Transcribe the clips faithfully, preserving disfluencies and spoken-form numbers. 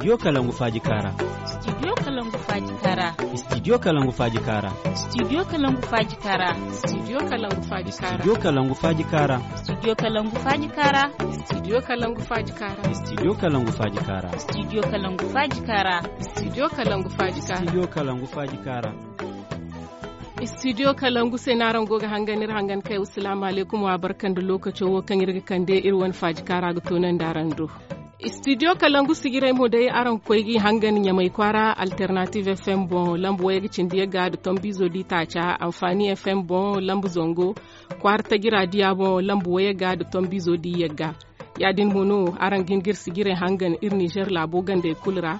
Studio Kalangu Faaji Kaara. Studio Kalangu Faaji Kaara. Studio Kalangu Faaji Kaara. Studio Kalangu Faaji Kaara. Studio Kalangu Faaji Kaara. Studio Kalangu Faaji Kaara. Studio Kalangu Faaji Kaara. Studio Kalangu Faaji Kaara. Studio Kalangu Faaji Kaara. Studio Kalangu Faaji Kaara. Studio Kalangu Faaji Kaara. Studio Kalangu Faaji Kaara. Studio Kalangu se no araŋ go ga hangan iri hangan kay. Wassalaamu alaykum, wa barka nda lookaco wo kaŋ iri ga kande iri wane faaji kaara ga toonandi araŋ do. Studio Kalangu sijirey mo day araŋ ga koy g'i hangan Ɲamay kwaara Alternative F M boŋ lamba wayey ga cindi yagga nda tombiizo di taaca, Anfaani F M boŋ lamba zangu kwaara tajira diya boŋ lamba wayey ga nda tombiizo di yagga. Ya-din mo no araŋ ga hin ga iri sijirey hangan iri Nizer laabo gandey kulu ra.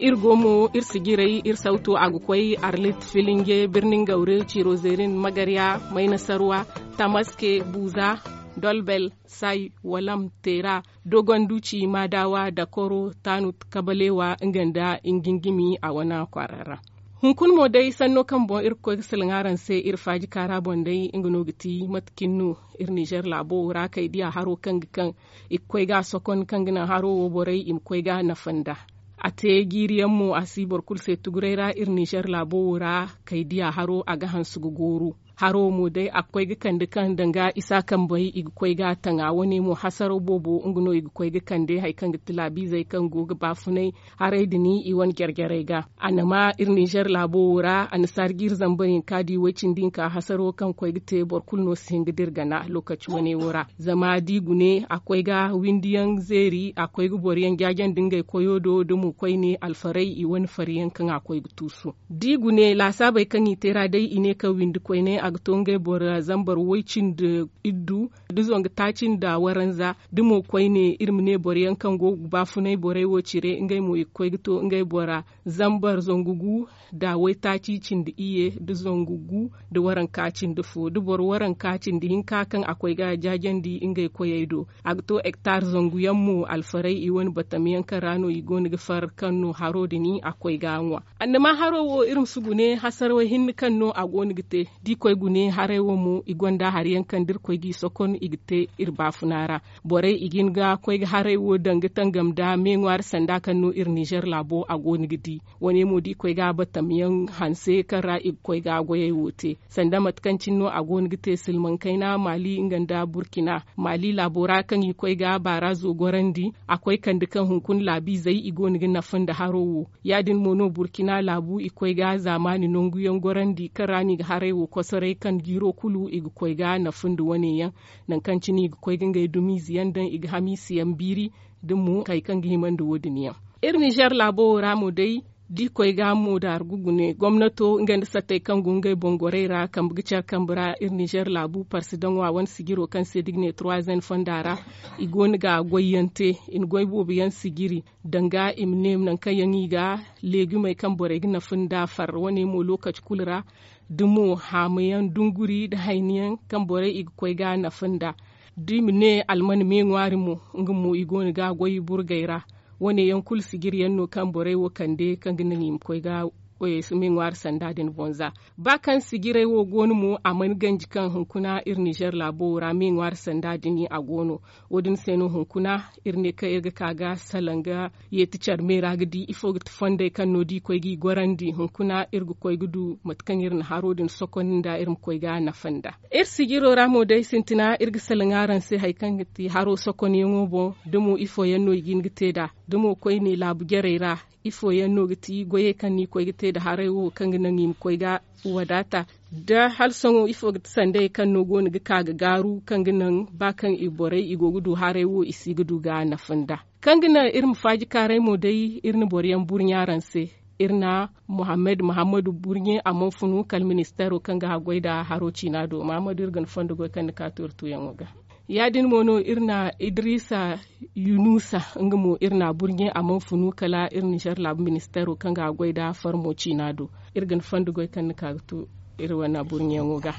Iri go mo iri sijirey iri sawto a ga koy Arlit, Filinge, Birnin Gawre, Cirozerin, Magarya, Maynasarwa, Tamaske, Buuza, Dolbel, Say, Walam, Teera, Dogonduci, Madawa, Dakoro, Tanut, Kabalewa nga nda Ingingimi a wane kwaara ra. Hunkuna mo day sanno kaŋ boŋ iri ga koy ga salaŋ araŋ se iri faaji kaara boŋ day, nga no ga ti mate cine no iri Nizer laabo wo ra kay diya haro kaŋ ga kaŋ i ga koy ga a sokon kaŋ ga naŋ haro wo borey i ma koy ga a nafa nd'a. A te jiiri yaŋ mo a si boro kulu se tuguray ra iri Nizer laabo wo ra kay diya haro a ga hanse ga gooru. Haro wo mo day a ga koy ga kande kaŋ danga isa kambey i ga koy ga a taŋ a wane mo hasaraw boobo nga no i ga koy ga kande hari kaŋ ga ti laabiizey kaŋ go ga baafunay haray din i wane jare-jarey ga. A na ma iri Nizer laabo wo ra annasaara jiiri zambar hinka di way-cindi hinka hasaro kaŋ koy ga te boro kulu no si hin ga dira gana lookaci wane wo ra. Zama da i gune a koy ga windiyaŋ zeeri a koy ga boro yaŋ jaajandi ngey koyo do da mo koyne alfaray i wane fari yaŋ kaŋ a koy ga tuusu. Da i gune laasaabey kaŋ i te ra day i ne kaŋ windi koyne a ga to ngey boro zambar way-cindi iddu da zangu taaci nda waranza da mo koyne iri ma ne boro yaŋ kaŋ go ga baafunay borey wo cire ngey mo i ga koy ga to ngey bora zambar zangu gu da waytaaci cindi iyye da zangu gu da waranka cindi fo da boro waranka cindi hinka kaŋ a koy ga jaajandi ngey koyey do. A ga to hektar zangu yaŋ mo alfaray i wane batam yaŋ kaŋ ra no i go no ga far kaŋ no haro din a koy ga a ŋwa. Annama haro wo iri ma si gune hasarawey hinne kaŋ no a go no ga te da i koy gune haray wo mo i gonda hari yaŋ kaŋ da iri koy g'i sokon i ga te iri baafuna ra. Borey i ga hin ga koy ga haray wo daŋ ga tangam nda me ŋwaari sanda kaŋ no iri nizer laabo a go no ga di. Wane mo da i koy ga batam yaŋ hanse kaŋ ra i ga koy ga goyey wo te sanda mate kaŋ cine no a go no ga te silmaŋ kayna maali nga nda burkina. Maali laabo ra kaŋ i koy ga baarazo gorandi a koy kande kaŋ hunkuna laabiizey i go no ga nafa nda haro wo. Ya-din mo no burkina laabu i koy ga zaamaani nangu yaŋ gorandi kaŋ ra no i ga haray wo kosoray kaŋ jiiro kulu i ga koy ga nafa nda wane yaŋ. Nangu kaŋ cine i ga koy ga ngey dumiize yaŋ daŋ i ga hamiise yaŋ biiri da mo hari kaŋ ga hima nda wo- din yaŋ. Iri nizer laabo wo ra mo day da i koy ga mo daargu gune gomnato nga nda sattey kaŋ go ngey boŋ gorey ra kambe ga care kambe ra iri nizer laabu parsidaŋo a wane sijiro kaŋ se da i ga ne turwazen fonda ra. I go no ga goy yaŋ te i na goy boobo yaŋ sijiri danga i ma ne nangu kaŋ yaŋ i ga leegumey kaŋ borey ga nafa nda far wane mo lookaci kulu ra. Da mo haamayaŋ dunguri nda hayniyaŋ kaŋ borey i ga koy ga nafa nda da i ma ne alman me ŋwaari mo nga mo i go no ga goy burgey ra. Wane yaŋ kulu sijiri yaŋ no kaŋ borey wo kande kaŋ ga naŋ i ma koy ga me ŋwaari sanda din bonza. Ba kaŋ sijirey wo go no mo a mana ganji kaŋ hunkuna iri nizer laabo wo ra me ŋwaari sanda din a go no. Wo- din se no hunkuna iri ne kaŋ iri ga ka ga salaŋ ga yeeti care me ra ga di ifo ga ti fondey kaŋ no da i koy g'i gorandi hunkuna iri ga koy ga du mate kaŋ iri na haro din sokon nda iri ma koy ga nafa nda. Iri sijiro ra mo day sintina iri ga salaŋ araŋ se hari kaŋ ga ti haro sokonyaŋo boŋ da mo ifo yaŋ no i ga hin ga te nd'a da mo koyne laabu jarey ra. Ifo yaŋ no ga ti goyey kaŋ no i koy ga te nda haray wo kaŋ ga naŋ i ma koy ga wadaata da hala sohõ ifo ga ti sandayey kaŋ no go no ga ka ga gaaru kaŋ ga naŋ ba kaŋ i borey i go ga du haray wo i si ga du ga nafa nda. Kaŋ ga naŋ iri ma faaji kaaray mo day iri na boro yaŋ burɲe araŋ se. Iri na muhammad muhammadu burɲe a mana funu kala ministeero kaŋ ga haggoy nda haro ciina do muhammadu iri ga ni fondo goy kaŋ ni ka to iri tuuyaŋo ga. Ya- din mo no iri na idrisa yunusa nga mo iri na a burɲe a mana funu kala iri nizer laabu ministeero kaŋ ga a goy nda farmo ciina do. Iri ga ni fondo goy kaŋ ni ka ga to iri wane burɲeyaŋo ga.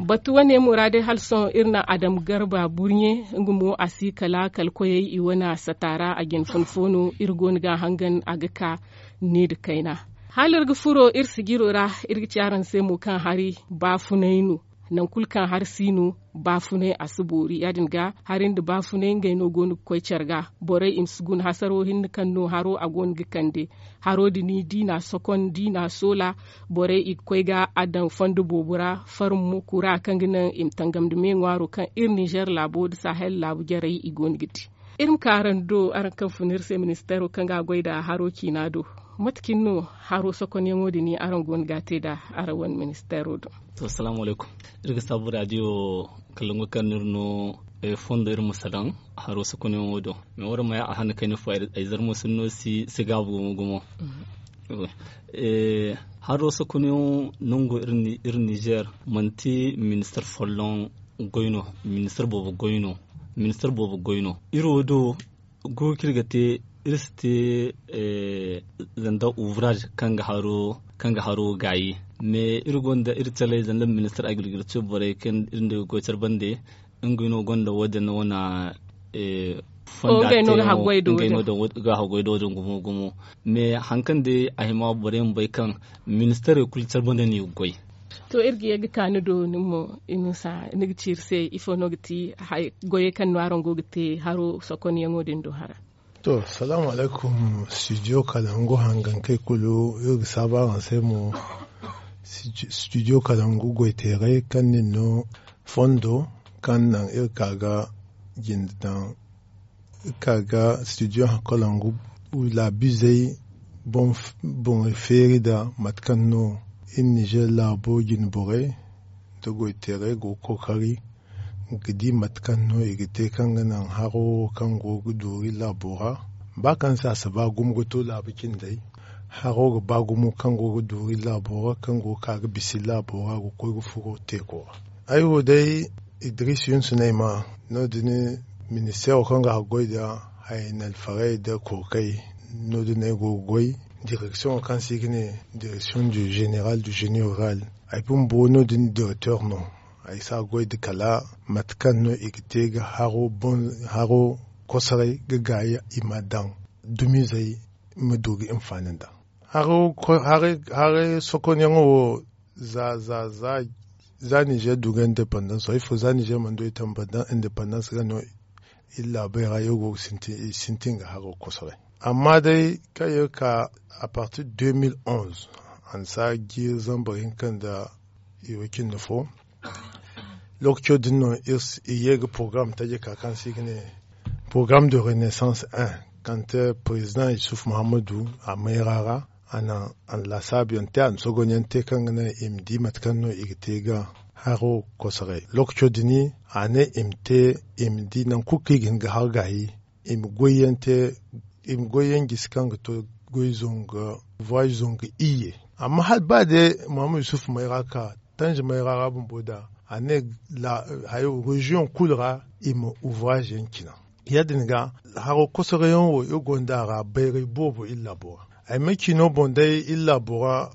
Batu wane mo ra day hala sohõ iri na adam garba burɲe nga mo a si kala kala koyey i wane sata ra a jine fun fo no iri go no ga a hangan a ga ka ne nda kayna. Hala iri ga furo iri sijiro ra iri ga ci araŋ se mo kaŋ hari baafunay no. Nangu kulu kaŋ hari si no, baafunay a si boori ya- din ga hari nda baafunay ngey no go no ga koy care ga. Borey i ma si guna hasaro hinne kaŋ no haro a go no ga kande. Haro din i di no a sokon da i no a soola. Borey i ga koy ga a daŋ fondo boobo ra, farmo kura kaŋ ga naŋ i ma tangam nda me ŋwaaro kaŋ iri ninzeer laabo nda sahel laabu jarey i go no ga di. Iri ma ka araŋ do, araŋ kaŋ fun iri se ministeero kaŋ ga a goy nd'a haro ciina do. Mate cine no haro sokonyaŋo din araŋ go no ga a te nd'a araŋ wane ministeero do? To, salaamu alaykum. Iri ga saabu raadiyo kalangu kaŋ no iri no fondo iri ma salaŋ haro sokonyaŋo do. Mais waraŋ ma ya a hane kayna fo ay zarma sinno si gaabu gumo gumo. Haro sokonyaŋo nango iri nizeer manti ministeer folloŋ goy no. Ministeer boobo goy no. Ministeer boobo goy no. Iri wo do guuku kaŋ iri ga te, iri si te zanda ouvrage kaŋ ga haro gaayi. Mais iri gonda iri calay zanda ministeer agriculture borey kaŋ iri nda ga goy care bande. Ngey no gonda wo- din wane fonda te no ga haggoy do din gumo gumo. Mais hari kaŋ day a hima borey ma bay kaŋ ministeerey kulu care bande no i ga goy. To, iri ga ye ga ka ni do nin mo, inusa ni ga ci iri se ifo no ga ti goyey kaŋ no araŋ go ga te haro sokonyaŋo din do hara? To, salaamu alaykum. Studio kalangu hangankey kulu iri ga saabu araŋ se mo. Studio kalangu goyteerey kaŋ nin no fondo kaŋ naŋ iri ka ga jinde daŋ iri ka ga studio kalangu laabizey boŋey feeri nda mate kaŋ no iri nizeer laabo jine borey nda goyteerey go ga kookari ga di mate kaŋ no i ga te kaŋ ga naŋ haro wo kaŋ go ga dooru iri laabo ra. Ba kaŋ se a si ba gumo ga to laabu cindey, haro ga ba gumo kaŋ go ga dooru iri laabo ra kaŋ go ga ka ga bisa iri laabo ra ga koy ga furo teeko ra. Ay wo day, idris yunsu no ay maa. No- din ministeero kaŋ ga haggoy nda hayey nda alfarey nda kookey. No- din no ay go ga goy. Direksiyoŋo kaŋ se i ga ne direksiyoŋ du zeneral du zeni rural. Ay bumbo no- din direkteer no. Ay si a goy nda kala mate kaŋ no i ga te ga haro kosoray ga gaayi i ma daŋ dumizey ma du ga hinfaani nd'a. Haray sokonyaŋo wo za za za za nizer du ga independans wo ifo za nizer mana du independans ga no iri laabey ra iri go ga sintin ga haro kosoray. Amma day kaŋ iri ka a partir de deux mille onze, a na si a jiiri zambar hinka nda i wo cindi fo. Lookaco din no iri ye ga porogaram taji ka kaŋ se i ga ne porogaram de renaissance un, kaŋ te perezidaŋ yusuf muhammadu a mayra ra. A na lasaabu yaŋ te a na sogonyaŋ te kaŋ ga naŋ i ma di mate kaŋ no i ga te ga haro kosoray lookaco din. A ne i ma te i ma di nangu kulu kaŋ i ga hin ga har gaayi i ma goyyaŋ te i ma goyyaŋ gisi kaŋ ga to goy zonga voyage zonga iyye. Amma hala ba day muhammad yusuf mayra ka tanji mayra ra bumbo da a ne hayo reziyoŋ kulu ra i ma ouvrage yaŋ cina. Ya- din ga haro kosorayaŋ wo iri gonda a ra bayray boobo iri laabo ra. Ay ma ci no boŋ day iri laabo ra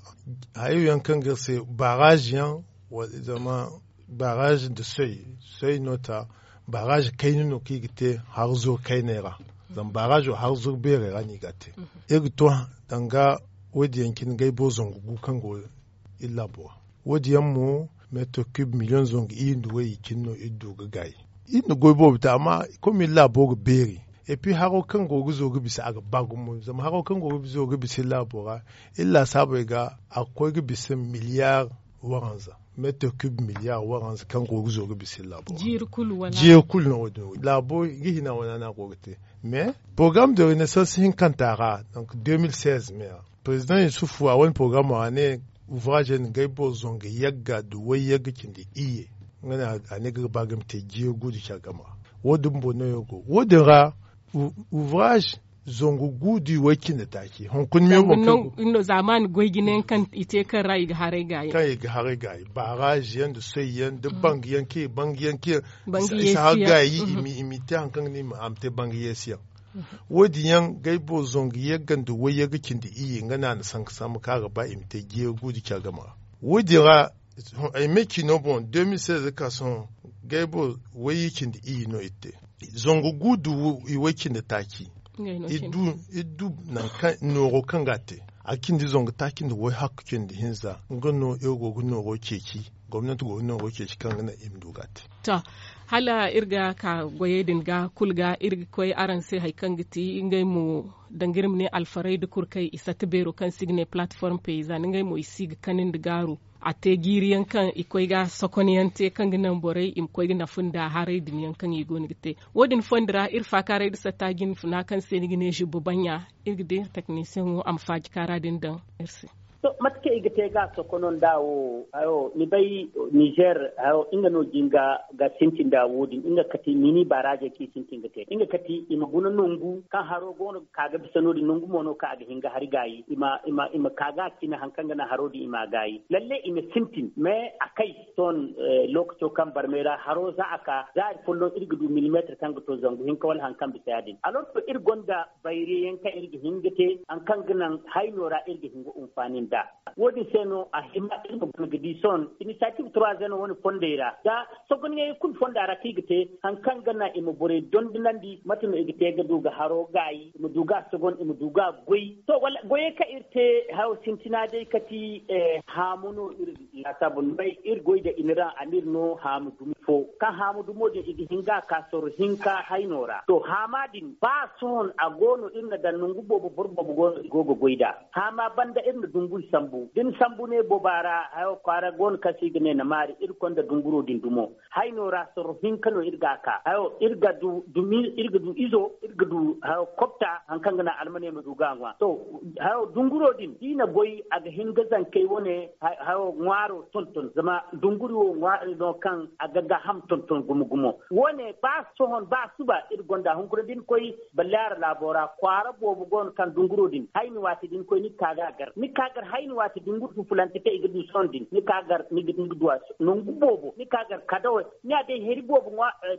hayo yaŋ kaŋ ga iri se barage yaŋ zama barage nda soy soy no ta. Barage kayna no kaŋ i ga te harzuru kayney ra. Zama barage wo harzuru beerey ra no i ga a te. Iri ga to danga wo- din yaŋ cine gay boro zangu gu kaŋ go iri laabo ra. Wo- din yaŋ mo meetar kub miliyoŋ zangu iri nda wayye cine no iri du ga gaayi. Iri na goy boobo te amma kom iri laabo ga beeri. Epi haro kaŋ go ga zo ga bisa a ga ba gumo zama haro kaŋ go ga zo ga bisa iri laabo ra iri laasaabey ga a ga koy ga bisa miliyar waranza. Meetar kub miliyar waranza kaŋ go ga zo ga bisa iri laabo ra. Jiiri kulu no wo- din laabo ga hina wane no a go ga te. Mais porogaram de renaissance hinkanta ra donc deux mille seize me ra perezidaŋ yusuf a wane porogaram ra ne ouvrage yaŋ ga ay boro zangu yagga nda wayyagga cindi iyye. Nga ne a ne ga ba ga ma te jiiri gu nda care game ra. Wo- din bumbo no yaŋ go wo- din ra ouvrage zangu gu nda i way cindi taaci hunkuna me wo kaŋ no zaamaani goy jinayaŋ kaŋ i te kaŋ ra i ga haray gaayi kaŋ i ga haray gaayi barage yaŋ nda soy yaŋ nda bangu yaŋ kaŋ i bangu yaŋ kaŋ i si haray gaayi i ma i ma i te hari kaŋ ga ne a ma te bangu yeesi yaŋ. Wo- din yaŋ gay boro zangu yagga nda wayyagga cindi iyye nga no a na sanka sambu kaŋ a ga ba i ma te jeeri gu nda care game ra. Wo- din ra ay me ci no boŋ deux mille seize ga ka sohõ gay boro wayye cindi iyye no iri te. Zangu gu nda i way cindi taaci. Iri du nooro kaŋ ga a te A cindi zangu taaci nda way hakku cindi hinza nga no iri go ga nooro ceeci. Gomnanti go ga nooro ceeci kaŋ ga naŋ i ma du ga a te. To, hala iri ga ka goyey din ga kulu ga iri ga koy araŋ se hari kaŋ ga ti ngey mo, danga iri ma ne alfaray da kurkay i sata beero kaŋ se i ga ne platform paysan ngey mo i si ga kani nda gaaru. A te jiiri yaŋ kaŋ i koy ga sokon yaŋ te kaŋ ga naŋ borey i ma koy ga nafa nda haray din yaŋ kaŋ i go no ga te. Wo- din fondo ra iri faakaaray nda satta jinfuna kaŋ se ni ga ne zubba baɲɲa. Iri ga di iri teknisiyaŋo a ma faaji kaara din daŋ iri se. To, mate kaŋ i ga te ga sokono nda wo hayo ni bay, nizer hayo nga no jinga ga sintin da wo- din nga kati mini baaraazey kaŋ i sintin ga te nga kati i ma guna nangu kaŋ haro go no ga ka ga bisa no- din nangu mo no kaŋ a ga hin ga hari gaayi i ma ka ga a cine hari kaŋ ga naŋ haro din i ma a gaayi lalle i ma sintin mais a kay. Sohõ, lookaco kaŋ barmey ra haro za a ka za hari folloŋ iri ga du milimeetir kaŋ ga to zangu hinka wala hari kaŋ bisa ya- din alors que iri gonda bayre yaŋ kaŋ iri ga hin ga te hari kaŋ ga naŋ hayno ra iri ga hin ga hunfaani nd'a. Wo- din se no a hima iri ma guna ga di sohõ inisiyaatiiv turaaze no wane fondey ra da sogonyaŋey kulu fonda ra kaŋ i ga te hari kaŋ ga naŋ i ma borey dondonandi mate no i ga te ga du ga haro gaayi i ma du ga a sogon i ma du ga a goy to wala goyey kaŋ iri te hayo sintina day kati haamu no iri laasaabu ni bay iri goy da iniraŋ a n'iri no haamu dumi fo kaŋ haamu dumo din i ga hin ga a ka sorro hinka hayno ra to haama din ba sohõ a go no iri na daŋ nangu boobo boro boobo go no i go ga goy nd'a haama banda iri na dungu i sambu da ni sambu ne booba ra hayo kwaara go no kaŋ se i ga ne na maari iri konda dunguro din dumo hayno ra sorro hinka no iri ga a ka hayo iri ga du dumi iri ga du izo iri ga du hayo kopta hari kaŋ ga naŋ almaney ma du ga a ŋwa to hayo dunguro din da i na goy a ga hin ga zankey wane hayo ŋwaaro tonton zama dunguri wo ŋwaari no kaŋ a ga gaaham tonton gumo gumo wo- ne ba sohõ ba suba iri gonda hunkuna da ni koy ballaara laabo ra kwaara boobo go no kaŋ dunguro din hayni waati da ni koy ni ga ka ga a gar ni ga ka gar hayni waati dunguri fufulante kaŋ i ga du sohõ din ni ga ka gar ni ga du a nangu boobo ni ga ka gar kadawo ni a day hari boobo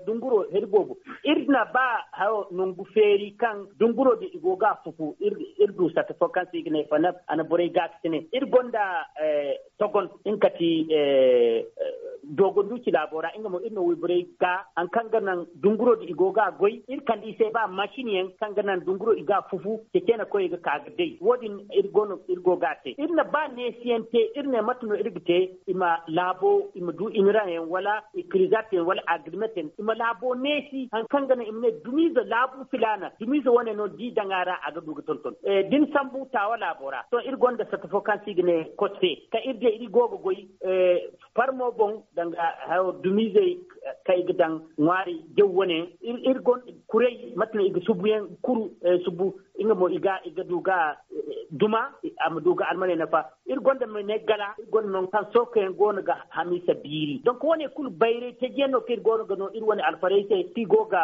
dunguro hari boobo iri na ba hayo nangu feeri kaŋ dunguro din i go ga a fufu iri du satta fo kaŋ se i ga ne fanab a na borey gaakasine iri gonda togon nga kati dogonduci laabo ra nga mo iri na wayborey ga hari kaŋ ga naŋ dunguro din i go ga a goy iri kande i se ba masin yaŋ kaŋ ga naŋ dunguro i ga a fufu ceeceene koyey ga ka ga day wo- din iri go ga a te iri na ba neesiyaŋ te iri ne mate no iri ga te i ma laabo i ma du iniraŋ yaŋ wala i kirizat yaŋ wala agrimet yaŋ i ma laabo neesi hari kaŋ ga naŋ i ma ne dumiize laabu filaana dumiize wane no da i daŋ a ra a ga du ga tonton da ni sambu taawa laabo ra sohõ iri gonda satta fo kaŋ se i ga ne kotse kaŋ iri day iri go ga goy farmo boŋ danga hayo dumiizey kaŋ i ga daŋ ŋwaari jaw wane iri gonda kuray mate no i ga subu yaŋ kuru subu nga mo i ga du ga duma a ma du ga almaney nafa iri gonda ma ne gala iri gonda nangu kaŋ sorko yaŋ go no ga hamiisa biiri donk wane kulu bayray taji yaŋ no kaŋ iri go no ga no iri wane alfarey se kaŋ i go ga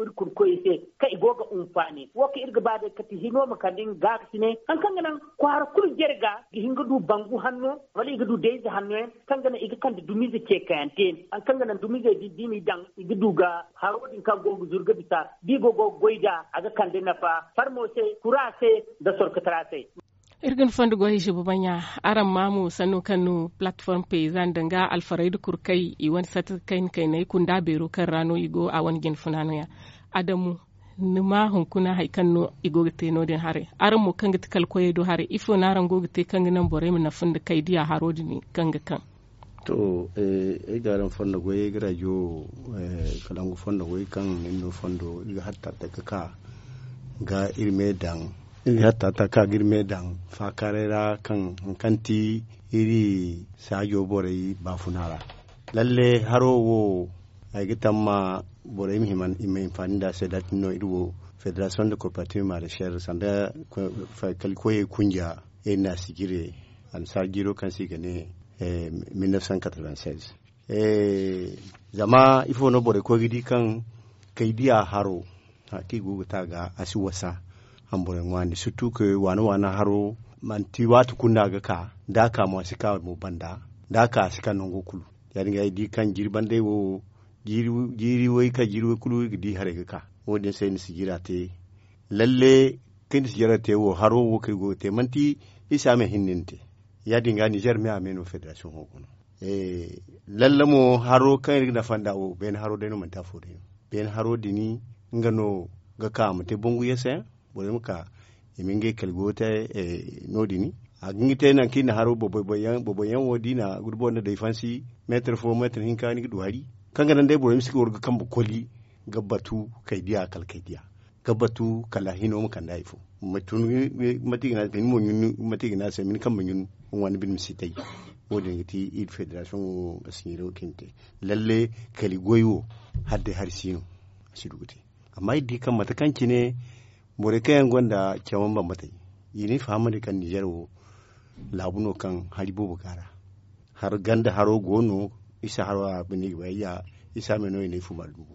iri kulu koyey se kaŋ i go ga hunfaani wo kaŋ iri ga ba day kati hino ma kande nga gaakasine hari kaŋ ga naŋ kwaara kulu jare ga ga hin ga du bangu hanno wala i ga du dayze hanno yaŋ kaŋ ga naŋ i ga kande dumiize ceekayante hari kaŋ ga naŋ dumiizey da i daŋ i ga du ga haro din kaŋ go ga zuru ga bisa da i go go ga goy nd'a a ga kande nafa farmo se kura se nda sorkotara se. Iri ga ni fondo goy hizibu baɲa araŋ ma mo sanno kaŋ no palatform payzan danga alfarayda kurkay i wane sata kayna kaynay kunda beero kaŋ ra no i go a wane jinfuna no- ya adamu ni ma hunkuna hari kaŋ no i go ga te no- din haray araŋ mo kaŋ ga ti kala koyey do haray ifo no araŋ go ga te kaŋ ga naŋ borey ma nafa nda kay diya haro din kaŋ ga kaŋ. To, ay ga araŋ fondo goy ay ga rajo kalangu fondo goy kaŋ iri no fondo iri ga hatta taka ka ga iri me daŋ iri ga hatta taka ka ga iri me daŋ faakaaray ra kaŋ haŋ kaŋ ti iri saajo borey baafuna ra. Lalle haro wo ay ga tamma borey ma hima i ma hinfaani nda a se da a tin no iri wo federasiyoŋ de korparativ marecher sanda kala koyey kunja iri na a sijire annasaara jiiro kaŋ se i ga ne mille neuf cent quatre-vingt-seize. Zama ifo no borey koy ga di kaŋ kay diya haro hari kaŋ i go ga ta ga a si wasa hamburey ŋwaani surtout que waana waana haro manti waati kulu no a ga ka da a ka mo a si ka mo banda da a ka a si ka nango kulu. Ya- din ga ay di kaŋ jiiri bandey wo jiiri way kaŋ jiiri way kulu i ga di haray ga ka wo- din se ni si jiira te. Lalle kaŋ ni si jiira te wo haro wo kaŋ i go ga te manti isa me hinne ni te. Ya- din ga nizer me a me no federasiyoŋo go no. Lalle mo haro kaŋ iri ga nafa nd'a wo beene haro day no manti afo day no. Beene haro din nga no ga ka a ma te bangu yeesayaŋ borey ma ka i ma ngey kali go te. No- din a ga hin ga te nangu kaŋ i na haro boboy boboy yaŋ wo da i na gudu boro nda day fansi meetar fo meetar hinka ni ga du hari kaŋ ga naŋ day borey ma si ga war ga kambe koli ga batu kay diya kala kay diya ga batu kala hino ma kande hari fo. Mate i ga ne a se ma ni kambe ɲun ŋwa ni bine ma si tay. Wo- din ga ti iri federasiyoŋo a siɲiro kaŋ i na te lalle kali goy wo hala day hari si no a si du ga te. Amma iri di kaŋ mate kaŋ cine borey kaŋ yaŋ gonda cawan bambatey i na ay fahamandi kaŋ nizer wo laabu no kaŋ hari boobo go a ra. Ganda haro go no isa haro a bine ga bay ya isa me no i na ay fu mara dugu.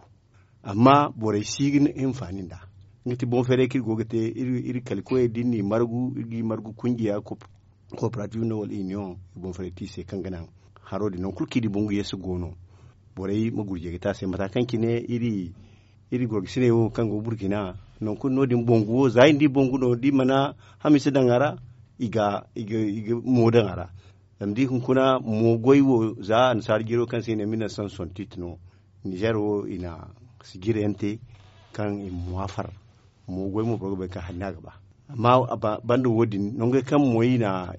Amma borey si ga hinfaani nd'a nga ti boŋ feeray kaŋ iri go ga te iri kali koyey da iri n'i margu iri ga i margu kunjiya kooperative no wala iniyoŋ i boŋ feeray te i se kaŋ ga naŋ haro din nangu kulu kaŋ i di bangu yeeso go no. Borey ma gurjey ga te a se mata kaŋ cine iri gorgasiney wo kaŋ go burkina nangu kulu no- din bangu wo za i na di bangu no da i mana hamiisa daŋ a ra i ga mo daŋ a ra. Zama da i hunkuna mo goy wo za annasaara jiro kaŋ se i ne mille neuf cent soixante-huit no nizer wo i na sijira yaŋ te kaŋ i ma ŋwa far. Mo goy mo boro ga bay kaŋ hari no a ga ba. Amma banda wo- din nangey kaŋ mo i na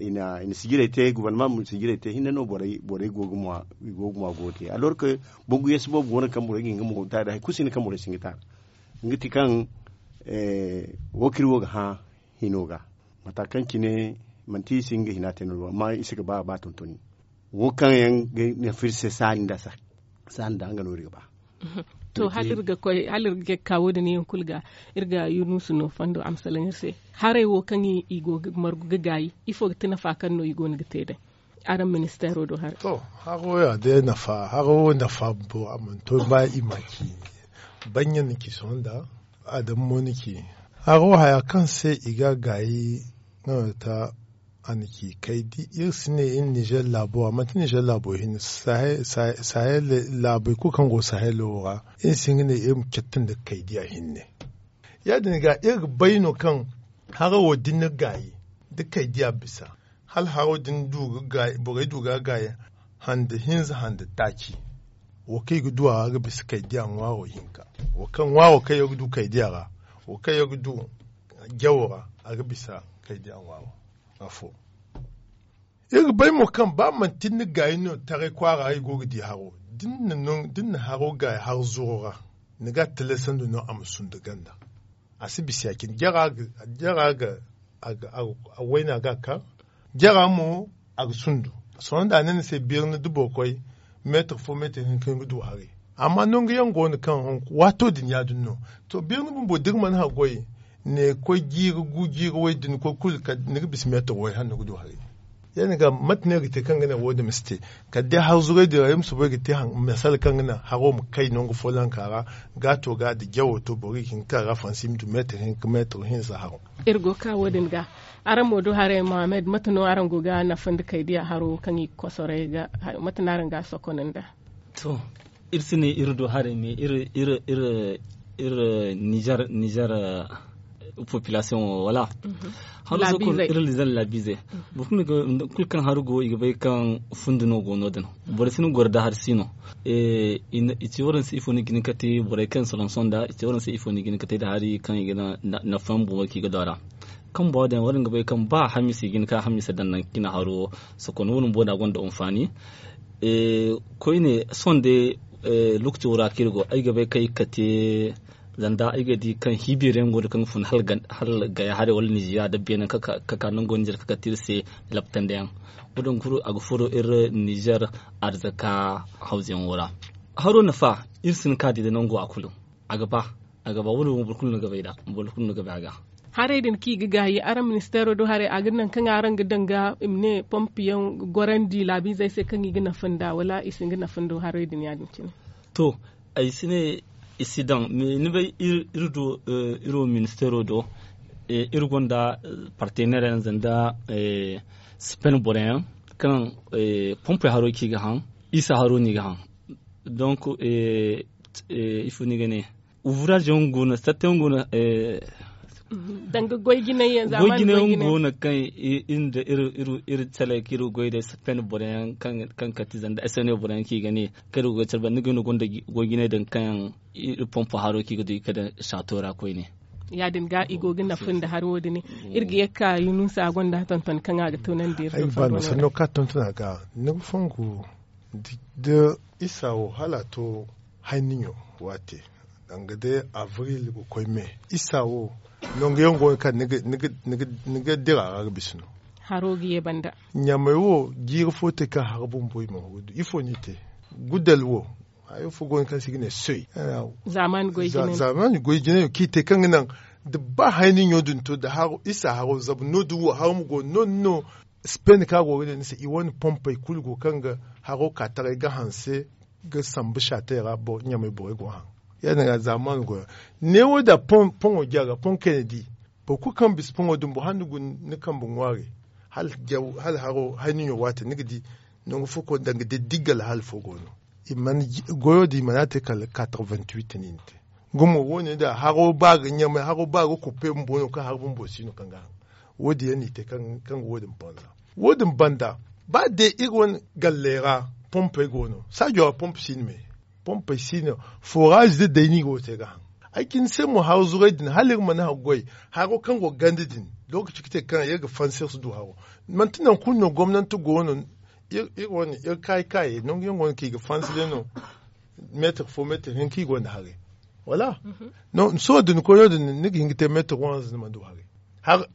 sijirey te gubarnama ma sijirey te hinne no borey go ga ŋwa go ga te alors que bangu yeeso boobo go no kaŋ borey ga hin ga mo ta da hari kulu si hin kaŋ borey si hin ga ta. Nga ti kaŋ wo kaŋ iri wo ga hã hino ga mata kaŋ cine manti i si hin ga hina te no amma i si ga ba a ba tontoni. Wo kaŋ yaŋ ga nafa iri se saani nda saani nda nga no iri ga ba. To hala iri ga koy hala iri ga ka wo- din yaŋ kulu ga iri ga yunusu no fondo a ma salaŋ iri se. Haray wo kaŋ i go ga margu ga gaayi ifo ga ti nafa kaŋ no i go no ga te day? Araŋ ministeero do haray. To haro ya day nafa haro nafa bumbo a mana to ba i ma ci. Banya ni ci sohõ nda adamu mo ni ci. Haro haya kaŋ se i ga gaayi nga no ta a na ci kay di iri si ne iri nizer laabo ra manti nizer laabo hinne sahel laabey kulu kaŋ go sahel wo ra. Iri si hin ga ne iri ma cattandi ga kay diya hinne. Ya- din ga iri ga bay no kaŋ haro wo da ni na gaayi da kay diya bisa hala haro da ni du ga gaayi borey du ga gaayi hande hinza hande taaci. Wo kaŋ i ga du a ra ga bisa kay diya ŋwaaro hinka wo kaŋ ŋwaaro kaŋ yaŋ ga du kay diya ra wo kaŋ yaŋ ga du jawo ra a ga bisa kay diya ŋwaaro. Afo iri ga bay mo kaŋ ba manti ni na gaayi no taray kwaara i go ga di haro da ni na haro gaayi har zuro ra ni ga a talaysandi no a ma sundu ganda. A si bisa ya- cine jara ga a wayna ga a kaŋ jara mo a ga sundu. Sohõ nda a ne ni se birni da boro koy meetar fo meetar hinka ni ga du haray. Amma nangu yaŋ go no kaŋ waato din ya- din no. To birni bumbo da iri mana haggoy ne koy jiiri gu jiiri way da ni koy kulu ni ga bisa meetar way hala ni ga du haray. Ya- din ga mate no iri ga te kaŋ ga naŋ wo- din ma si te kala day har zuray din ra iri ma soobay ga te masala kaŋ ga naŋ haro ma kay nangu follonka ra. Gaato ga da jawo to boro ga hin ga ka ga fansi i ma du meetar hinka meetar hinza haro. Iri go ga ka wo- din ga araŋ mo du haray mohammed mate no araŋ go ga nafa nda kay diya haro kaŋ i ga kosoray ga mate no araŋ ga a sokon nda? To iri si ne iri du haray me iri iri iri nizer nizer population wo wala haro sokon iri nizer laabiizey. Boro kulu kaŋ haru go i ga bay kaŋ fundi no go no- din. Borey si ni goro da hari si no. I ci waranse ifo no i ga hin ga te borey kaŋ soloŋ sonda i ci waranse ifo no i ga hin ga te nda hari kaŋ i ga nafa yaŋ bumbo kaŋ i ga du a ra. Kaŋ boro din waranse ga bay kaŋ ba hamiisa i ga hin ga hamiisa daŋ nangu kaŋ i na haro sokon wo- din bumbo no a gonda anfaani. Koyne sohõ day lokaco ra kaŋ iri go ay ga bay kaŋ ay ga kate zanda ay ga di kaŋ hiibeeri yaŋ go no kaŋ ga fun hala gaya haray wala nizeeriya da beene kaŋ ka nango nizeer kaŋ ga te iri se. Laptandi yaŋ wo- din kulu a ga furo iri nizeer arzaka hawza yaŋo ra. Haro nafa iri si hin ka di da nango a kulu a ga ba a ga ba wo- din wo boro kulu no ga bay a ga. Haray din kaŋ i ga gaayi araŋ ministeero do haray a ga naŋ kaŋ araŋ ga daŋ ga i ma ne pompe yaŋ gorandi laabiizey se kaŋ i ga nafa nda wala i si hin ga nafa nda haray din ya- din cine? To ay si ne i si daŋ. Ni bay iri do iri wo ministeero do iri gonda parteneer yaŋ zanda sipen boro yaŋ kaŋ pompe haro kaŋ i ga haŋ isa haro no i ga haŋ. Donc ifo no i ga ne? Ouvrage yaŋ go no satta yaŋ go no. Danga goy jinay yaŋ zamani goy jinay yaŋ go no kaŋ iri nda iri calay kaŋ iri goy day satta boro yaŋ kaŋ kati zanda sne boro yaŋ kaŋ i ga ne kaŋ iri goy care banda ni ga no gonda goy jinay daŋ kaŋ yaŋ iri pompo haro kaŋ i ga du i ga daŋ sato ra koyne. Ya- din ga i go ga nafa nda hari wo- din. Iri ga ye ga ka yunusa gonda tonton kaŋ a ga tunandi iri do. Ay ga ba no sanno kaŋ a tonton a ga ni ga fongu da isa wo hala a to hayniɲo waate, danga day abril ga koy me isa wo nangu yaŋ go no kaŋ ni ga dira a ra ga bisa no. Haro ga ye banda. Ɲamay wo jiiri fo te kaŋ haro bumbo i mana wo du ifo no i te. Gudal wo hayo fo go no kaŋ se i ga ne soy. Zaamaani goy jinayo kaŋ i te kaŋ ga naŋ da ba hayniɲo din to da isa haro zama no- din wo haro ma go no- din no. Spain kaŋ a go ga ne ni se i wane pompey kulu go kaŋ ga haro ka taray ga hanse ga sambu saatey ra ɲamay borey go haŋ. Ya- din ga zaamaani goyo ne wo da poŋo ja ga poŋ kayna di boro kulu kaŋ bisa poŋo dumbu hala ni guna ni kambe ŋwaari. Hala haro hayniɲo waate ni ga di nangu fo koy danga day diggal hala fo go no. Goyo din i mana a te kala quatre-vingt-huit no i na te. Gumo wo- ne da haro ba ga ɲamay haro ba ga kuppe bumbo no kaŋ haro bumbo si no kaŋ ga haŋ. Wo- din yaŋ no i te kaŋ ga wo- din banza. Wo- din banda ba day iri wane galley ra pompey go no saajo ra pompe si no me. Pompey si no. Foraazi da day no i go ga te ga haŋ. Ay cine se mo haro zuray din hala iri mana haro goy haro kaŋ go ga ganda din. Lookaci ga te kaŋ iri ga fansi iri si du haro. Manti nangu kulu no gomnanti go no. Iri wane iri kaayi kaayey nangu yaŋ go no kaŋ i ga fansi day no. Meetir fo meetir hinka i gonda haray. Wala sohõ da ni koy no- din ni ga hin ga te meetir waranza ni mana du haray.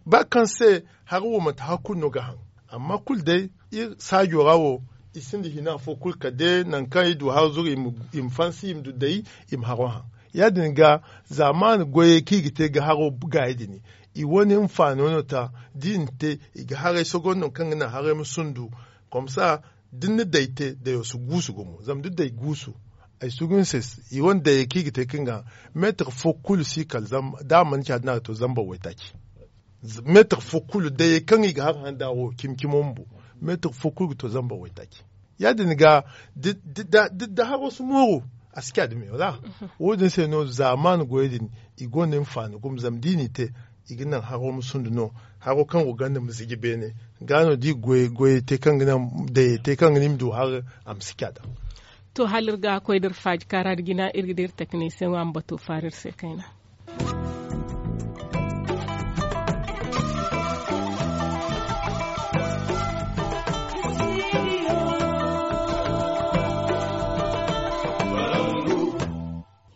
Ba kaŋ se hari wo manti hari kulu no ga haŋ. Amma kulu day iri saajo ra wo i sinda hina fo kulu kala day nangu kaŋ iri du hari zuru i ma fansi i ma du day i ma haro haŋ. Ya- din ga zaamaani goyey kaŋ i ga te ga haro gaayi din i wane hinfaano no ta da i na te i ga haray sogon no kaŋ ga naŋ haray ma sundu. Komsa da ni na day te dayo si guusu gumo zama da day guusu. Ay sugu ni se i wane dayey kaŋ i ga te kaŋ ga meetir fo kulu si kala da a mana ci a din a ga to zambar waytaaci. Meetir fo kulu dayey kaŋ i ga har handa wo cimi cimo bumbo meetir fo kulu ga to zambar waytaaci. Ya- din ga da haro si mooru a si ci a dumi wala. Wo- din se no zaamaani goyey din i gonda hinfaani gumo zama da i n'i te i ga naŋ haro ma sundu no. Haro kaŋ go ganda ma ziji beene ga no da i goyey te kaŋ ga naŋ dayey te kaŋ ga naŋ i ma du har a ma si ci a daŋ. To hala iri ga koy da iri faaji kaara da jina iri ga da iri takanisiyaŋo a ma bato faara iri se kayna.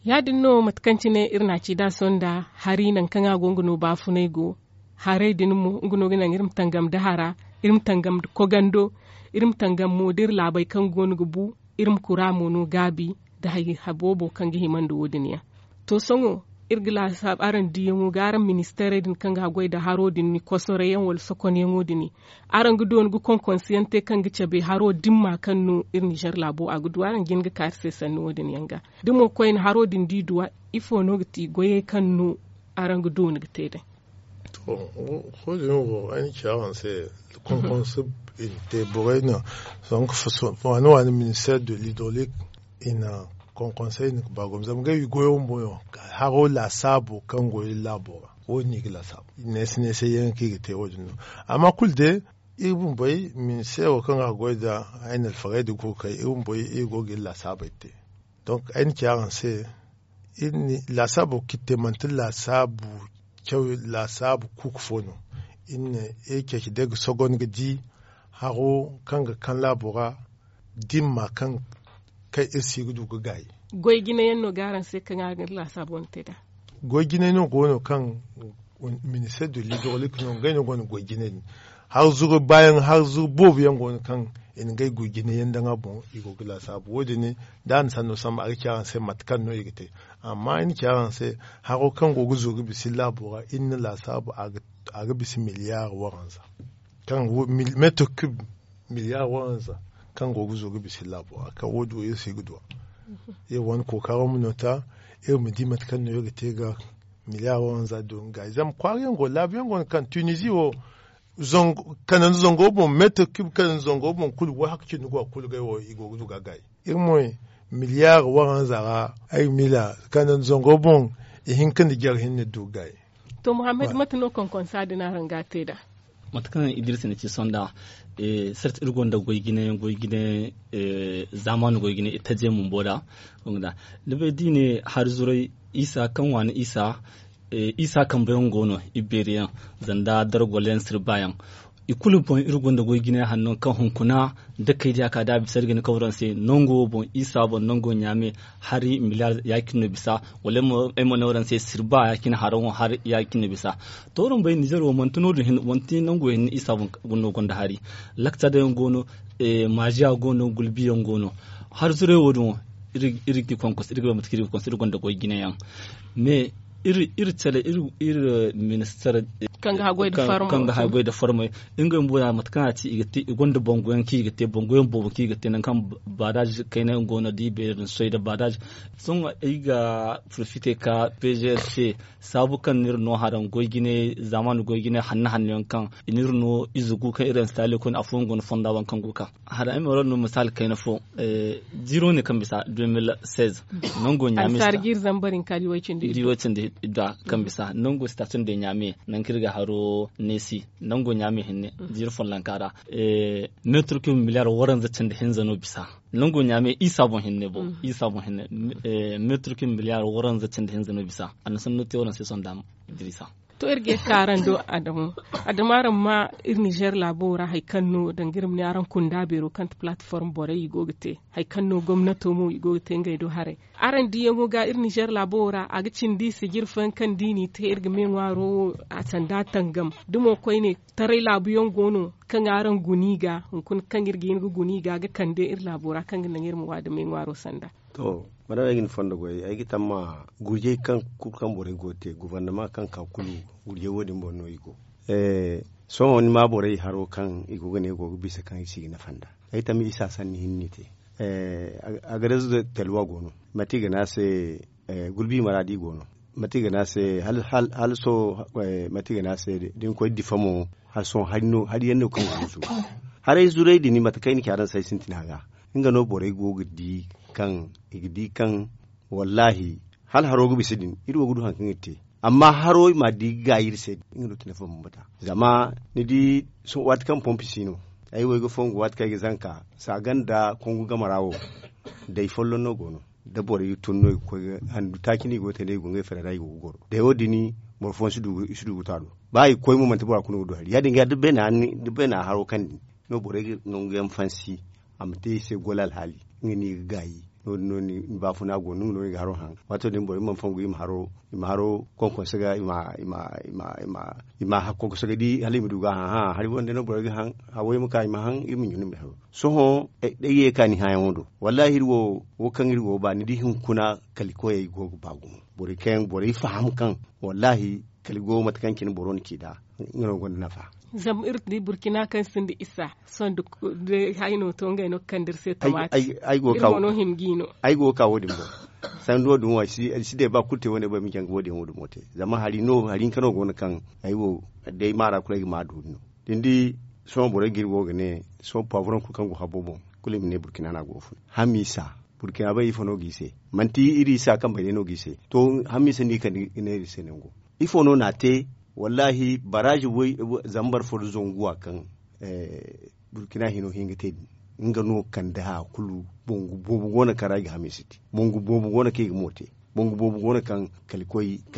Ya- din no mate kaŋ cine iri na a ci da a sonda hari nangu kaŋ a go nga no baafunay go. Haray din mo nga no ga naŋ iri ma tangam da hara iri ma tangam da kogando iri ma tangam mo da iri laabey kaŋ go no ga bu. Iri ma kura mo no gaabi da hari boobo kaŋ ga hima nda wo- din yaŋ. To sohõ iri ga laasaabu araŋ diyaŋo ga araŋ ministeerey din kaŋ ga haggoy nda haro din ni kosorey yaŋ wala sokonyaŋo din. Araŋ ga doona ga konkonse yaŋ te kaŋ ga cabe haro dimma kaŋ no iri ninzeer laabo a ga du araŋ jin ga ka iri se sanni wo- din yaŋ ga da mo koyne haro din da i duw'a ifo no ga ti goyey kaŋ no araŋ ga doona ga te day? To, wo- din wo ay na ci araŋ se konkonse i na te borey no. Waani waani ministeer de l'hydrolique i na konkonse i na ga ba gomna zama ngey goyo bumbo no haro laasaabo kaŋ go iri laabo ra. Wo- din no i ga laasaabu neese neese yaŋ kaŋ i ga te wo- din no. Amma kulu day iri bumbey ministeero kaŋ ga goy nda ay na alfarey din ga koy ga kay iri bumbey iri go ga iri laasaabey te. Donk ay na ci araŋ se iri ne laasaabo kaŋ iri te manti laasaabu caw laasaabu kuuku fo no. Iri ne iri ceeci day ga sogon ga di haro kaŋ ga kaŋ laabo ra dimma kaŋ kaŋ iri si ga du ga gaayi. Goy jine yaŋ no ga araŋ se kaŋ araŋ ga iri laasaabo wane te nd'a? Goy jinay no go no kaŋ ministeer de l'hydrolique no ngey no gonda goy jinay din. Har zuru baayaŋ har zuru boobo yaŋ go no kaŋ i na ngey goy jinay yaŋ daŋ a boŋ i go ga laasaabu wo- din. Da a na sanno samba a ga ci araŋ se mate kaŋ no i ga te. Amma ay na ci araŋ se haro kaŋ go ga zuru ga bisa iri laabo ra iri na laasaabu a ga bisa miliyaar waranza kaŋ meetir kub miliyaar waranza kaŋ go ga zo ga bisa iri laabo ra kaŋ wo- din wo iri si ga du a. Iri wane kookaro ma no ta iri ma di mate kaŋ no iri ga te ga miliyaar waranza do nga gaayi zama kwaara yaŋ go laabu yaŋ go no kaŋ tunizi wo kanandi zango boŋ meetir kub kanandi zango boŋ kulu wahakku cindi go a kulu gay wo i go ga du ga a gaayi. Iri mo miliyaar waranza ra ay ga miila kanandi zango boŋ ihinka nda jare hinne du ga gaayi. To muhammad mate no konkonsa din araŋ ga a te nd'a? Mate kaŋ idris na ci sonda sarti iri gonda goy jine goy jine zaamaani goy jine itaje bumbo nd'a. Ni bay da i ne hari zuray isa kaŋ waani isa Isa kambe yaŋ go no, ibeeri yaŋ, zanda dargol yaŋ sirba yaŋ. I kulu boŋ iri gonda goy jinay hanno kaŋ hunkuna da kay diya ka da a bisa iri ga ni kawraŋ se nango wo boŋ isa boŋ nango ɲaame hari miliyar ya- cine no bisa. Wala ay mo ne waraŋ se sirba ya- cine haraŋo hari ya- cine no bisa. To waraŋ bay nizer wo manti no- din manti nango hinne isa boŋ no gonda hari. Lakta day yaŋ go no. Maaziya go no gulbi yaŋ go no. Hari zuray wo- din wo iri ga ti konkos iri ga bay mate kaŋ iri ga konkos iri gonda goy jinay yaŋ. Mais iri cale iri ministar kaŋ ga haggoy nda farmey ngey bumbo da mate kaŋ a ci i gonda bangu yaŋ kaŋ i ga te bangu yaŋ boobo kaŋ i ga te nangu kaŋ baadaaji kayna yaŋ go no da i beeri nda soy nda baadaaji. Sohõ ay ga profite ka p g r se saabu kaŋ no iri no haraŋ goy jinay zaamaani goy jinay hanno hanno yaŋ kaŋ i no iri no ize gu kaŋ iri installe koyne afooyaŋ go no fonda waŋ kaŋ go ga ka. Hara ay ma wara no misaali kayna fo. Ziro ne kaŋ bisa deux mille seize nango ɲaame si ta. Di way cindi idda kaŋ bisa nango station de ɲaame nangu kaŋ iri ga haro neesi nango ɲaame hinne ziro follonka ra. Meetir kub miliyar waranza cindi hinza no bisa. Nango ɲaame isa boŋ hinne bo isa boŋ hinne. Meetir kub miliyar waranza cindi hinza no bisa. A na sanno te waraŋ se sonda. Idrisa. To iri ga ye ka araŋ do adamo adamo araŋ ma iri nizer laabo ra hari kaŋ no danga iri ma ne araŋ kunda beero kaŋ ti platform borey i go ga te hari kaŋ no gomnato mo i go ga te ngey do haray. Araŋ diyaŋo ga iri nizer laabo ra a ga cindi sijiri fooyaŋ kaŋ da i n'i te iri ga me ŋwaaro wo a sanda tangam da mo koyne taray laabu yaŋ go no kaŋ araŋ guna i ga hunkuna kaŋ iri ga hin ga guna i ga ga kande iri laabo ra kaŋ ga naŋ iri ma wa da me ŋwaaro sanda. To, madama ay ga ni fondo goy ay ga tamma gurjey kaŋ kulu kaŋ borey go ga te guvernama kaŋ ka kulu gurjey wo- din boŋ no i go. Sohõ ni ma borey haro kaŋ i go ga ne go ga bisa kaŋ i si ga nafa nd'a. Ay tamma isa sanni hinne i te. Agades telwa go no mate i ga ne a se gulbi maraadi go no mate i ga ne a se hala sohõ mate i ga ne a se da ni koy difa mo hala sohõ hari yaŋ no kaŋ ga guusu. Haray zuray din mate kaŋ ay na ci araŋ se ay sintina ga nga no borey go ga di kaŋ i ga di kaŋ wallaahi hala haro ga bisa din iri wo ga du hari kaŋ iri te. Amma haro i ma di ga gaayi iri se nga no ti nafa bambata. Zama ni di waati kaŋ pompi si no ay wo ay ga fongu waati kaŋ ay ga zanka saaga nda kongu game ra wo day folloŋ no go no. Da borey ga tun no i ga koy ga handu taaci no i go ga te day i go ngey fere ra i go ga goro day wo- din boro fooyaŋ si du ga to a do. Ba i ga koy mo manti bora kulu no ga du hari ya- din ga da beena haro kaŋ din no borey ga nangu yaŋ fansi a ma te i se gola alhaali nga no i ga gaayi. No- din no ni baafuna go no nga no ni ga haro haŋ. Waato din borey mana fongu i ma haro konkonse ga i ma i ma i ma i ma i ma konkonse ga di hala i ma du ga haŋ hari wo- din day no borey ga haŋ. Hawey ma ka i ma haŋ iri ma ɲuna i ma haro. Sohõ day ye ka ni hãyaŋo do wallaahi iri wo wo kaŋ iri go ga ba ni di hunkuna kala koyey go ga ba gumo. Borey kaŋ yaŋ borey faham kaŋ wallaahi kala go mate kaŋ cine boro na ci nd'a. Nga no gonda nafa. Zama iri di burkina kaŋ sinda isa sohõ da hayno to ngey no ga kande iri se tomati. Iri mo no hima g'i no. Ay go ga ka wo- din boŋ. Sanduwo din wo ay si day ba kulu te wane bay ma jaŋ ga wo- din wo dumo te zama hari no hari hinka no go no kaŋ ay wo day maara kulu ay ga ma doori no. Da ni di sohõ borey ga iri wo ga ne sohõ paaburoŋ kulu kaŋ go habo boŋ kulu i ma ne burkina no a go ga fun. Hamiisa burkina bay ifo no g'i se manti iri isa kaŋ bay day no g'i se. To hamiisa no i kande ga ne iri se nango ifo no n'a te? Wallaahi baraazi zambar fo nda zangu wa kaŋ burkina hino hin ga te din nga no kande haya kulu. Bangu boobo go no kaŋ ra i ga hamiisa te. Bangu boobo go no kaŋ i ga mo te. Bangu boobo go no kaŋ kala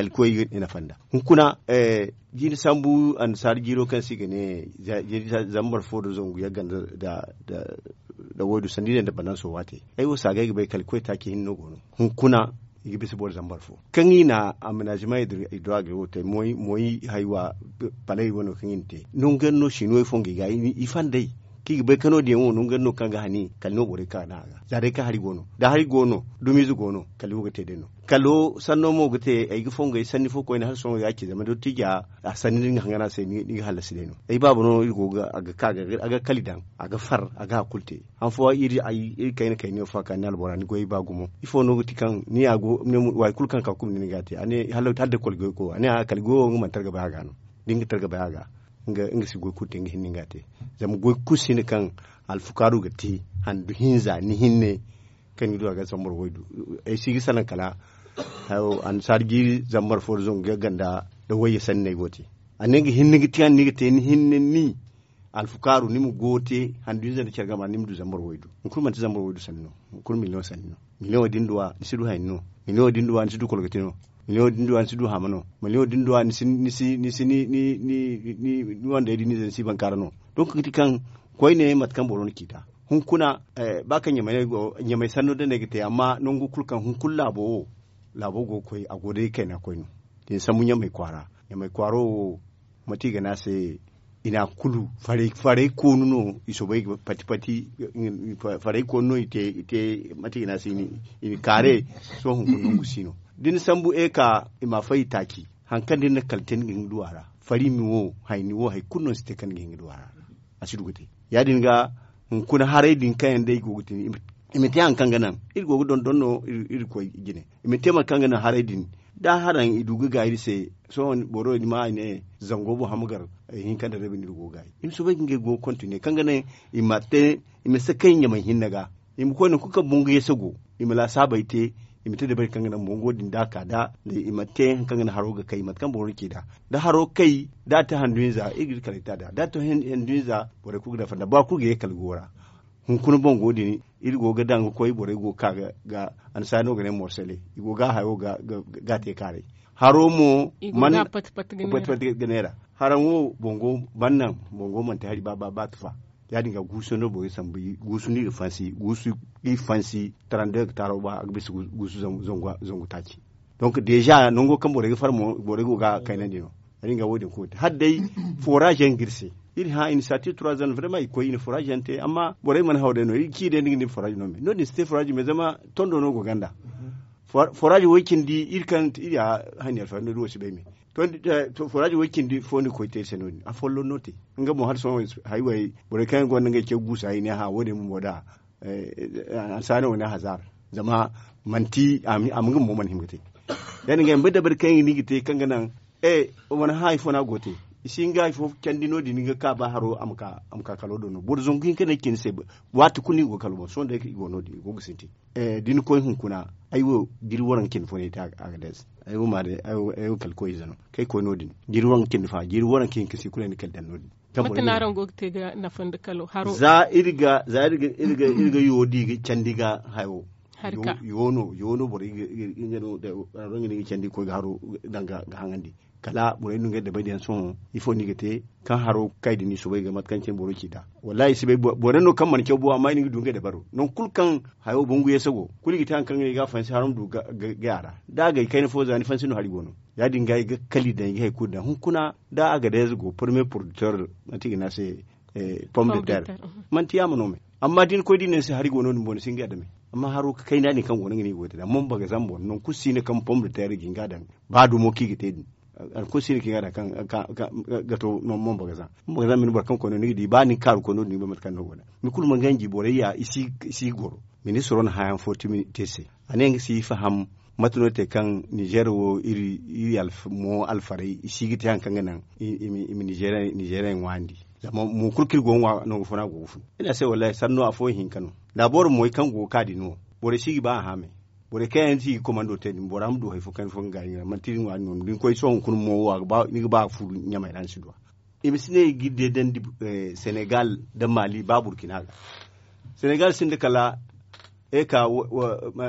koy i nafa nd'a. Hunkuna jiiri sambu annasaara jiiro kaŋ se i ga ne zambar fo nda zangu yagga nda waydu sanda i ne nda bananso waate. Ay wo saagay ga bay kala koy taaci hinne no go no. Hunkuna i ga bisa boro zambar fo kaŋ i na aménagement i du a ga wo te moy haywa palay wano kaŋ i na te nangu yaŋ no siino i fongo i ga i fandey kaŋ i ga bay ka no- din yaŋ wo nangu yaŋ no kaŋ ga hani kala no borey ka naŋ a ga za day kaŋ hari go no da hari go no dumiize go no kala i wo ga te day no. Kalo sanno mo ga te ay ga fongo ay sanni fo koyne hala sohõ ya- cine zama dottija a sanni da ni ga hangan a se ni ga hallasi day no. Ay baaba no iri go ga a ga ka a ga kali daŋ a ga far a ga hari kulu te. Han fooyaŋ iri kayna kayna yaŋ fo a ka ni albora ni goyey ba gumo ifo no ga ti kaŋ ni ya go waati kulu kaŋ ka kuma ni ga te a ne hala da koli goy ko a ne a kali goyo nga mana targa bay a ga no. Da nga targa bay a ga nga si goy kulu te nga hinne nga te. Zama goy kulu si hin kaŋ alfukaaru ga te handu hinza ni hinne kaŋ ni du a ga zambar waydu. Ay si ga salaŋ kala annasaara jiiri zambar fo da zangu ga ganda da wayye sanni no ay go ga te. A ne nga hinne ga te ni ga te ni hinne ni alfukaaru ni ma go ga te handu hinza nda care game ra ni ma du zambar waydu. Hunkuna manti zambar waydu sanni no. Hunkuna miliyoŋ sanni no. Miliyoŋo din duwa ni si du hayni no. Miliyoŋo din duwa ni si du kolgati no. Miliyoŋo din duwa ni si du hama no. Miliyoŋo din duwa ni si ni si ni si ni ni ni ni wandey din ni si bankaara no. Donk ga ti kaŋ koyne mate kaŋ boro na ciita hunkuna, ba kaŋ ɲamay sanno da ne ga te amma nangu kulu kaŋ hunkuna laabo wo laabo go ga koy a go day kayna koy no. Da ni sambu ɲamay kwaara ɲamay kwaaro wo mate i ga ne a se i na kulu farey koonu no i soobay ga pati pati farey koonu no i te mate i ga ne a se i na kaare. Sohõ hunkuna nangu si no da ni sambu eka i ma a fay i taaci. Hari kaŋ da ni na kala te ni ga hin ga du a ra fari mi wo hayni wo hari kulu no si te kaŋ ni ga hin ga du a ra. A si du ga te ya- din ga hunkuna haray din kaŋ yaŋ day go ga te i ma te hari kaŋ ga naŋ iri go ga dondon no iri koy jine i ma te mate kaŋ ga naŋ haray din. Da haraŋ i du ga gaayi iri se sohõ boro ni ma a ne zango boŋ hama gar hinka nda rabi no iri go ga gaayi i ma soobay ga ngey go ga kontine kaŋ ga naŋ i ma te i ma sakay ɲamay hinne ga i ma koy nangu kulu kaŋ bangu yasa go i ma laasaabey te i ma te dabari kaŋ ga naŋ bango din da a ka da i ma te hari kaŋ ga naŋ haro ga kay mate kaŋ boro ga ci nd'a da haro kay da a te handu hinza iri ga iri kala ita nd'a da a te handu hinza borey kulu ga dafa nd'a ba kulu ga ye kala go ra. Hunkuna bango din iri go ga daŋ ga koy borey go ga ka ga annasaari no ga ne morsele i go ga a hayo ga a te kaaray. Haro mo mana pati pati ga neera haraŋ wo bango mana naŋ bango manti hari ba ba ba tufa. Ya- din ga guusu no borey sambu guusu no iri fansi guusu iri fansi tarande ga taaro ba a ga bisa guusu zangu taaci. Donk deeza nango kaŋ borey ga far mo borey go ga kaynandi no. Ya- din ga wo- din kulu te hala day forage yaŋ ga iri se iri hã initiative trois ans vraiment i koy i na forage yaŋ te amma borey mana haw day no iri ga ci day ni ga ne forage no me no- din si te forage me zama tondo no go ganda. Forage wo- cindi iri kaŋ iri a hani alfahari no- din wo si bay me. Forage wo- cindi fo ni ga koy te iri se no- din afolloŋ no te. Nga mo hala sohõ haywey borey kaŋ yaŋ gonda ngey ce guusa i ne hã wo- din bumbo da annasaari wo ne hazar zama manti a ma nga bumbo mana hima ga te. Ya- din ga i ma bay dabari kaŋ yaŋ ga ni ga te kaŋ ga naŋ e mana hã ifo no a go ga te. I si hin ga hari fo candi no- din ni ga ka ba haro a ma ka kalo do no boro zangu hinka no ay ci ni se. Waati kulu no i go ga kalo boŋ sohõ day i go no- din i go ga sintin. Da ni koy hunkuna ay wo jiri waranka cindi fo no ay te a ga dees. Ay wo ma day ay wo kala koy ize no kaŋ ay koy no- din jiri waranka cindi fa jiri waranka hinka si kulu ay na kala daŋ no- din. Mate no araŋ go ga te ga nafa nda kalo haro za iri ga za iri ga iri ga iri ga yo di ga candi ga hayo. Yo no yo no borey ga iri ga no da araŋ ga ni ga candi ga koy ga haro daŋ ga haŋandi. Kala borey no ngey dabari yaŋ sohõ ifo no i ga te kaŋ haro kay da ni soobay ga mate kaŋ cine boro ci nd'a. Wallahi si bay borey no kaŋ mana caw bo amma i na ga du ngey dabaro nangu kulu kaŋ hayo bangu yeese go kulu i ga te hari kaŋ ga ne i ga a fansi haro ma du gay a ra. Da a gay kayna fo za ni fansi no hari go no. Ya- din ga i ga kali daŋ i ga hari kulu daŋ hunkuna da a ga day ize go premier producteur manti i ga ne a se pomme de terre. Manti yaama no me amma da ni koy da i ne ni se hari go no- din boŋ ni si hin ga a dame. Amma haro ga kayna din kaŋ go no nga no i go ga te nd'a mombagazam boŋ nangu kulu si ne kaŋ pomme de terre ga hin ga a daŋ ba dumo kaŋ i ga te din. Hari kulu si ne kaŋ i ga a daŋ kaŋ ga to mombagazam mombagazam ma ni boro kaŋ koy no ni ga di ba ni ga kaaru koy no- din ni ga bay mate kaŋ no go nd'a. Ni kulu ma ganji borey ya i si goro ministiro na hãyaŋ fo te se. A ne nga si faham mate no te kaŋ nizer wo iri mo alfarey i si ga te hari kaŋ ga naŋ i ma nizer yaŋ ŋwaandi. Zama mo kulu kaŋ iri go ga ŋwa nangu fo no a go ga fun iri ne a se wallahi sanno afo hinka no. Laaboro moy kaŋ go ga ka din wo borey si ga ba a hã me. Borey kaŋ yaŋ si ga komando te din bora ma du hari fo kaŋ fo ga gaayi ɲira manti iri ŋwaari no da ni koy sohõ hunkuna mo wo ni ga ba ga furu ɲamay ra ni si du a. I ma si ne i ga iri deedandi senegal nda mali ba burkina ga. Senegal sinda kala eka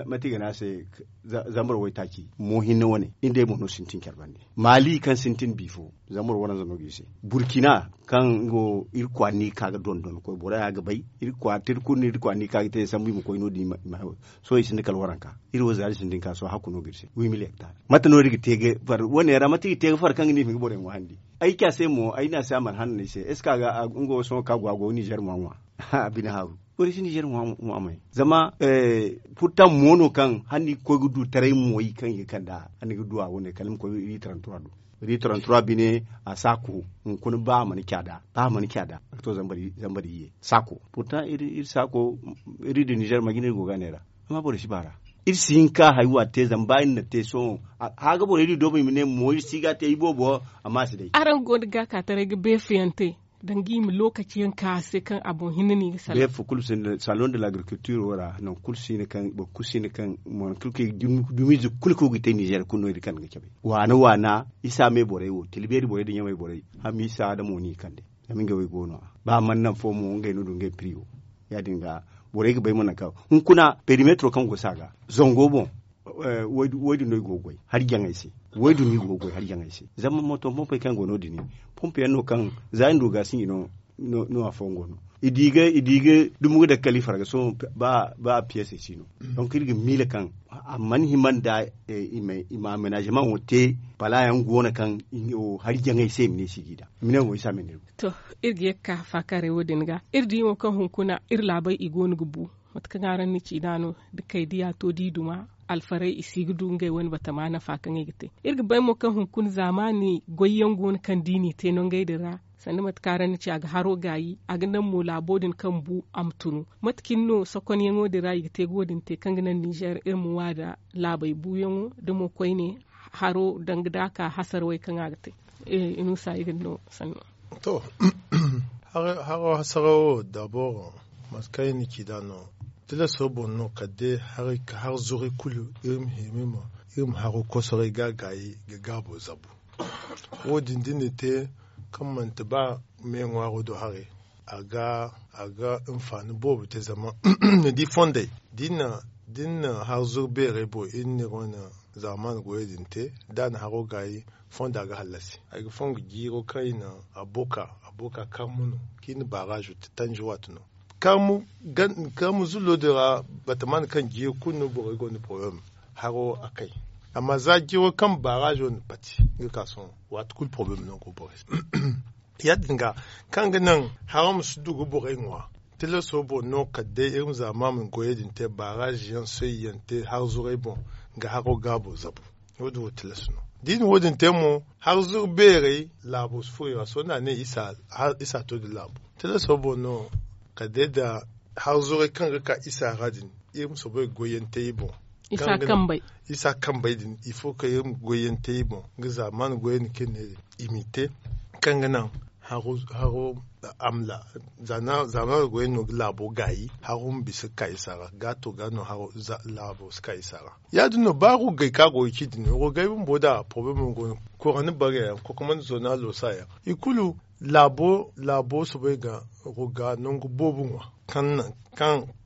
mate i ga ne a se zambar waytaaci mo hinne wane iri day mo no sintin care bande. Mali kaŋ sintin bi fo zambar waranza no ga i se. Burkina kaŋ nga wo iri kwaara no i ga ka ga dondon koy boro ya ga bay. Iri kwaara no iri ga ka ga te sambu i ma koy no- din i ma hayo. Sohõ i sinda kala waranka iri wo zaari sintin ka sohõ hakku no ga iri se wi mili hektar. Mate no iri ga te ga far wane ra mate i ga te ga far kaŋ ga ne i ma hin ga borey ŋwaahandi? Ay ci a se mo ay ne a se a mana hanno no ay se est ce que a ga nga wo sohõ kaŋ a go a go ga nizer ŋwa ŋwa? A bine haaru. Borey si nizer ŋwa ŋwa may zama purtaŋ mo no kaŋ hala ni ga koy ga du taray moy kaŋ i ga kand'a hala ni ga du a wane kala ni ma koy iri tarantura do. Iri tarantura bine a saako hunkuna ba a mana caada ba a mana caada a ga to zambar iyye saako. Purtaŋ iri saako iri da nizer ma jina iri go ga a neera. Amma borey si baar'a iri si hin ka hari waati te zama ba iri na te sohõ. Haaga borey da i doobu i ma ne mo iri si ga a te iboobo. Amma a si day araŋ go ga gaakaataray ga beefuyaŋ te danga i ma lookaci yaŋ ka a se kaŋ a boŋ hinne no i ga salaŋ. Beefo kulu sinda salon de l'agriculture wo ra nangu kulu si hin kaŋ boro kulu si hin kaŋ mo nangu kulu kaŋ i ga dumiize kulu kaŋ go ga te nizer kulu no iri kande ga cabe. Waana waana isa me borey wo tila beeri borey nda ɲamay borey. Hamisa da mo no i kande zama ngey wo i go no- ya ba mana naŋ fo mo ngey no du ngey piriyo. Ya- din ga borey ga bay mo nangu kaŋ hunkuna perimetro kaŋ go se a ga zango boŋ. Wo- din no i go ga goy hari jaŋey se. Wo- din no i go ga goy hari jaŋey se. Zama moto pompey kaŋ go no- din pompe yaŋ no kaŋ za i na du ga sinji no. No afooyaŋ go no. I di ga dumo ga daga kala i farga sohõ. Ba piyese si no. Donk iri ga miila kaŋ a mana hima nda i ma amenaazemaŋo te. Pala yaŋ go no kaŋ hari jaŋey se i ma ne si g'i da. I ma ne wo i si a ma ne. To, iri ga ye ga ka faakaaray wo- din ga iri di mo kaŋ hunkuna iri laabey i go no ga bu. Mate kaŋ araŋ na ci nd'a no da kay diya to da i duma alfarey i si ga du ngey wane batama nafa kaŋ i ga te. Iri ga bay mo kaŋ hunkuna zaamaani goyyaŋ go no kaŋ da i n'i te nongey din ra. Sanda mate kaŋ araŋ na ci a ga haro gaayi a ga naŋ mo laabo din kaŋ bu a ma tunu. Mate cine no sokonyaŋo din ra i ga te ga wo- din te kaŋ ga naŋ ninzeer iri ma ŋwa nda laabey buuyaŋo da mo koyne haro danga da a ka hasarawey kaŋ a ga te. Inusa i ga ni no sanno. To, haro hasarawo dabor mate kaŋ i na ci nd'a no. Tilaso boŋ no kala day haray ka har zuray kulu iri ma hima iri ma haro kosoray ga gaayi ga gaabo zabu. Wo- din da ni na te kaŋ manti ba me ŋwaaro do haray a ga a ga hinfaani boobo te zama ni di fondey da ni na har zuru beerey boŋ iri na iri wane zaamaani goyey din te da a na haro gaayi fonda ga hallasi. Ay ga fongu jiiro kaŋ i na abooka abooka karmu no kaŋ i na baaraazo te tanji waati no. Karmu zullo din ra batamaani kaŋ jiiri kulu no borey go nda poroblem haro a kay. Amma za jiiro kaŋ baaraazo na pati nga ka sohõ waati kulu poroblem no go borey se. Ya- din ga kaŋ ga naŋ haro ma si du ga borey ŋwa. Tilaso boŋ no kala day iri ma zaama ma goyey din te baaraazo yaŋ soyyaŋ te har zuray boŋ ga haro gaabo zabu. Wo- din wo tilas no da i na wo- din te mo har zuru beerey laabo si furo i ra sohõ da a ne isa to nda laabo. Tilaso boŋ no kala day nda har zuray kaŋ ga ka isa ra din iri ma soobay ga goyyaŋ te i boŋ. Isa kambey din ifo kaŋ iri ma goyyaŋ te i boŋ nga zaamaani goyey din kaŋ iri ne din i m'i te kaŋ ga naŋ haro amla. Zaamaani goyey no ga laabo gaayi haro ma bisa ga ka isa ra gaato ga no laabo si ka isa ra. Ya- din no ba rugay kaŋ a go ga ci din rugay bumbo nda poroblemo go no kura ni bare yaŋ kokomandi zo no a loosa yaŋ i kulu laabo laabo soobay ga ruga nangu boobo ŋwa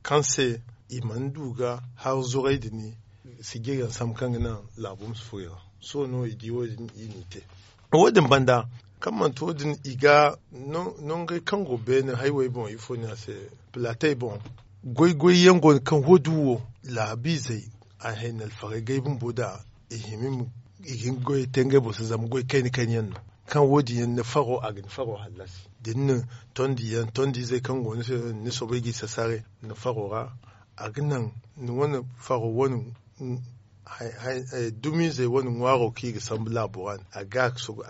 kaŋ se i mana du ga har zuray din sijiryaŋ sambu kaŋ ga naŋ laabo ma si furo i ra. Sohõ no i di wo- din i n'i te wo- din banda kaŋ manti wo- din i ga nongey kaŋ go beene haywey boŋ ifo no a se pilatey boŋ goy goy yaŋ go no kaŋ wo- din wo laabiizey a hayna alfarey gay bumbo nda i hima i ga hin ga goyey te ngey boŋ se zama goy kayna kayna yaŋ no kaŋ wo- din yaŋ ni faro a ga ni faro hallasi da ni na tondi yaŋ tondiizey kaŋ go ni se ni soobay g'i sasaare ni faro ra a ga naŋ ni wane faro wane dumiizey wane ŋwaaro kaŋ i ga sambu laabo ra a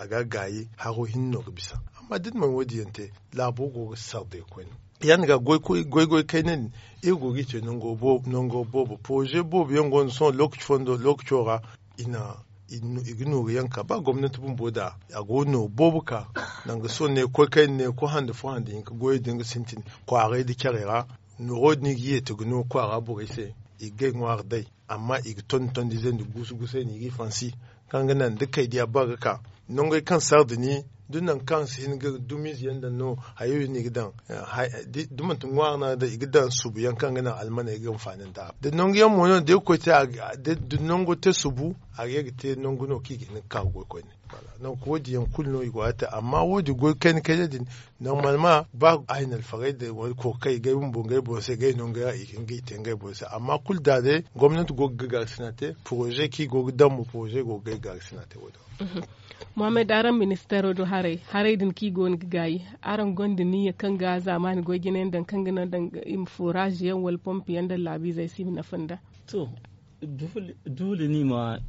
ga gaayi haro hinne no ga bisa. Amma da ni mana wo- din yaŋ te laabo go ga sarday koyne ya- din ga goy goy kayna din iri go g'i te nango boobo poroze boobo yaŋ go no sohõ lookaci fondo lookaco ra i ga nooru yaŋ ka ba gomnanti bumbo nda a go ga nooru boobo ka nangu sohõ ne ga koy kayna ne ga koy hando fo hando hinka goyey din ga sintin kwaaray nda carey ra. Nooro din i ga yeeti ga no kwaara borey se i ga gay ŋwaari day amma i ga tondi tondiizey nda guusu guusey no i g'i fansi kaŋ ga naŋ da kaydiya ba ga ka nangey kaŋ sardi ni da nangu kaŋ si hin ga dumiize yaŋ daŋ no hayo yaŋ no i ga daŋ. Da manti ŋwaari no a ga daŋ i ga daŋ subu yaŋ kaŋ ga naŋ almaney ga hinfaani nda a ra da nangu yaŋ mo no da iri ga koy te da nango te subu a ga ye ga te nangu no kaŋ i ga hin ga ka ga goy koyne. Nangu wo- din yaŋ kulu no i go ga te amma wo- din goy kayna kayna din normalement ba a hin alfarey da wala kookaray ngey bumbo ngey boŋ se ngey no ngey ra i ga hin ga i te ngey boŋ se amma kulu da day gomnanti go ga gaagarisina te poroze kaŋ i go ga daŋ mo poroze go ga gay gaagarisina te wo- din. Mohammed araŋ ministeero do haray haray din kaŋ i go no ga gaayi araŋ gonda niyya kaŋ ga zaamaani goy jinayaŋ daŋ kaŋ ga naŋ daŋ i ma foraaze yaŋ wala pompe yaŋ daŋ laabiizey se i ma nafa nd'a? To, doole no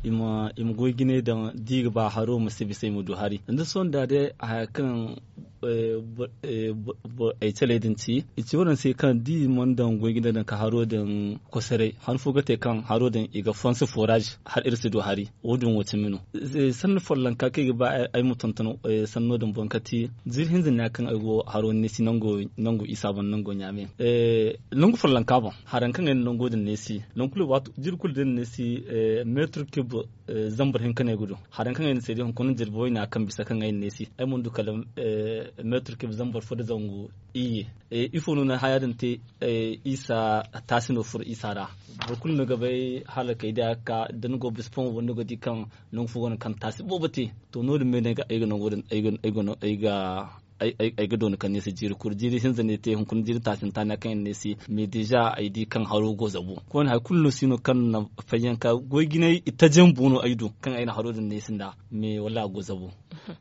i ma goy jinay daŋ da i ga ba haro ma si bisa i ma du hari da sohõ da day haya kaŋ ay caley din ci i ci wane se kaŋ da i mana daŋ goy jinay daŋ ka haro din kosoray han fo ga te kaŋ haro din i ga fonse forage hala iri si du hari. Wo- din wo cimi no sanni follonka kaŋ ay ga ba ay ma tonton sanno din boŋ kati ziri hinza no ya kaŋ ay go haro neesi nango isa boŋ nango ɲaame. Nangu follonka boŋ haraŋ kaŋ ay na nango din neesi nangu kulu waati jiri kulu da ay na neesi meetir kib zambar hinka no ay ga du. Haraŋ kaŋ ay na seedi hunkuna jirbi wayna kaŋ bisa kaŋ ay na neesi ay mana du kala Meetir kib zambar fo nda zangu iyye. Ifo no na haya din te? Isa taasi no furo isa ra. Boro kulu no ga bay hala kay da ga ka da ni go bisa fo mo ni ga di kaŋ nangu fo go no kaŋ taasi boobo te. To no- din me no ay ga nango din ay ga doona kaŋ ni se jiiri kulu jiiri hinza no ay te hunkuna jiiri taasi hinta no ya kaŋ ay na ni se. Mais deja ay di kaŋ haro go zabu koyne hari kulu no si no kaŋ na fayyanka goy jinay itaje bumbo no ay du kaŋ ay na haro din no ay sinda. Mais wallaahi a go zabu.